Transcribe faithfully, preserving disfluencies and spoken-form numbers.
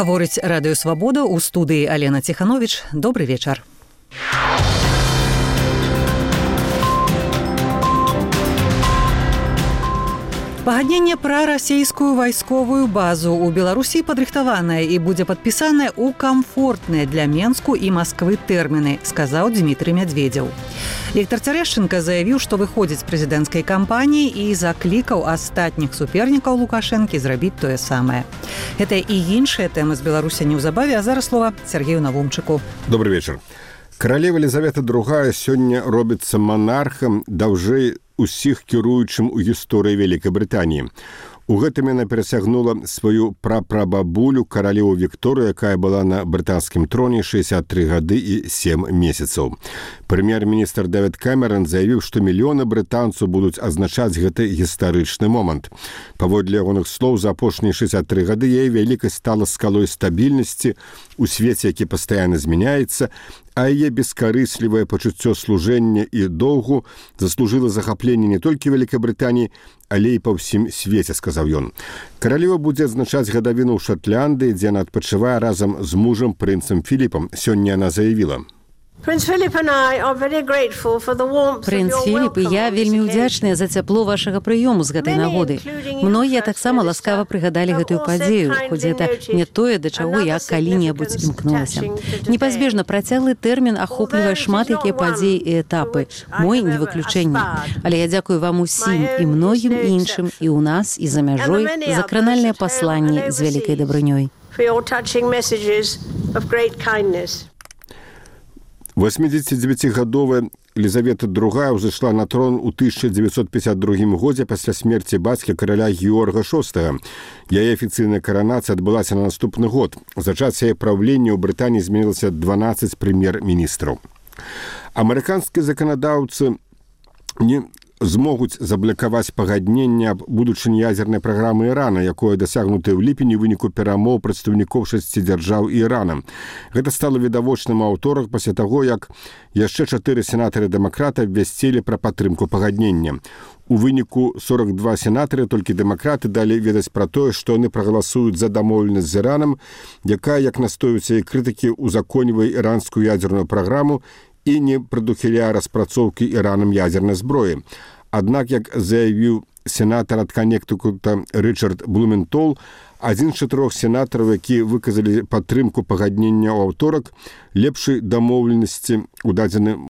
Гаворыць Радыё Свабода, у студыі Алена Ціхановіч. Добры вечар. Пагадненне пра расійскую вайсковую базу ў Беларусі падрыхтаванае і будзе падпісанае ў камфортныя для Менску і Масквы тэрміны, сказаў Дмітрый Мядведзеў. Віктор Цярэшчынка заявіў, што выходзіць з прэзідэнцкай кампаніі і заклікаў астатніх супернікаў Лукашэнкі зрабіць тое самае. Гэта і іншыя тэмы з Беларусі неўзабаве, а зараз слова Сергею Навумчыку. Добры вечар. Каралева Елізавета другая сёння робіцца манархам даўжэй усіх кіруючым у гісторыі Вялікай Брытаніі. У гэтым яна перасягнула сваю прапрабабулю каралеву Вікторыю, якая была на брытанскім троне шэсцьдзесят тры гады і сем месяцаў. Прэм'ер-міністр Дэвід Кэмерон заявіў, што мільёны брытанцаў будуць азначаць гэты гістарычны момант. Паводле ягоных слоў, за апошнія шэсцьдесят тры гады яе вялікасць стала скалой стабільнасці у свеце, які пастаянна змяняецца, а яе бескарыслівае пачуццё служэння і доўгу заслужыла захапленне не толькі Вялікай Брытаніі, але і па ўсім свеце, сказаў ён. Каралева будзе адзначаць гадавіну ў Шатландыі, дзе яна адпачывае разам з мужам прынцам Філіпам. Сёння яна заявіла: Прынц Філіп і я вельмі ўдзячныя за цяпло вашага прыёму з гэтай нагоды. Многія таксама ласкава прыгадалі гэтую падзею, хоць гэта не тое, да чаго я калі-небудзь імкнулася. Непазбежна працяглы тэрмін ахоплівае шмат якія падзеі і этапы. Мой не выключэнне. Але я дзякую вам усім і многім іншым і ў нас, і за мяжой за кранальнае пасланне з вялікай дабрынёй. восьмідзесятдзевяцігадовая Елізавета другая ўзышла на трон у тысяча дзевяцьсот пятьдесят другім годзе пасля смерці бацькі караля Георга шостага. Яе афіцыйная каранацыя адбылася на наступны год. За час яе праўлення ў Брытаніі зменілася дванаццаць прэм'ер-міністраў. Амерыканскія заканадаўцы не змогуць заблакаваць пагадненне аб будучыні ядзернай праграмы Ірана, якое дасягнутае ў ліпені ў выніку перамоў прадстаўнікоў шасці дзяржаў Ірана. Гэта стала відавочным у аўторак пасля таго, як яшчэ чатыры сенатары-дэмакраты абвясцілі пра падтрымку пагаднення. У выніку сорок два сенатары, толькі дэмакраты, далі ведаць пра тое, што яны прагаласуюць за дамоўленасць з Іранам, якая, як настойваюцца і крытыкі, узаконьвае іранскую ядзерную праграму і не прадухіляе распрацоўкі Іранам ядзернай зброі. Аднак, як заявіў сенатар ад Каннектыкута Рычард Блументол, адзін з чатырох сенатараў, які выказалі падтрымку пагаднення ў аўторак, лепшай дамоўленасці ў дадзены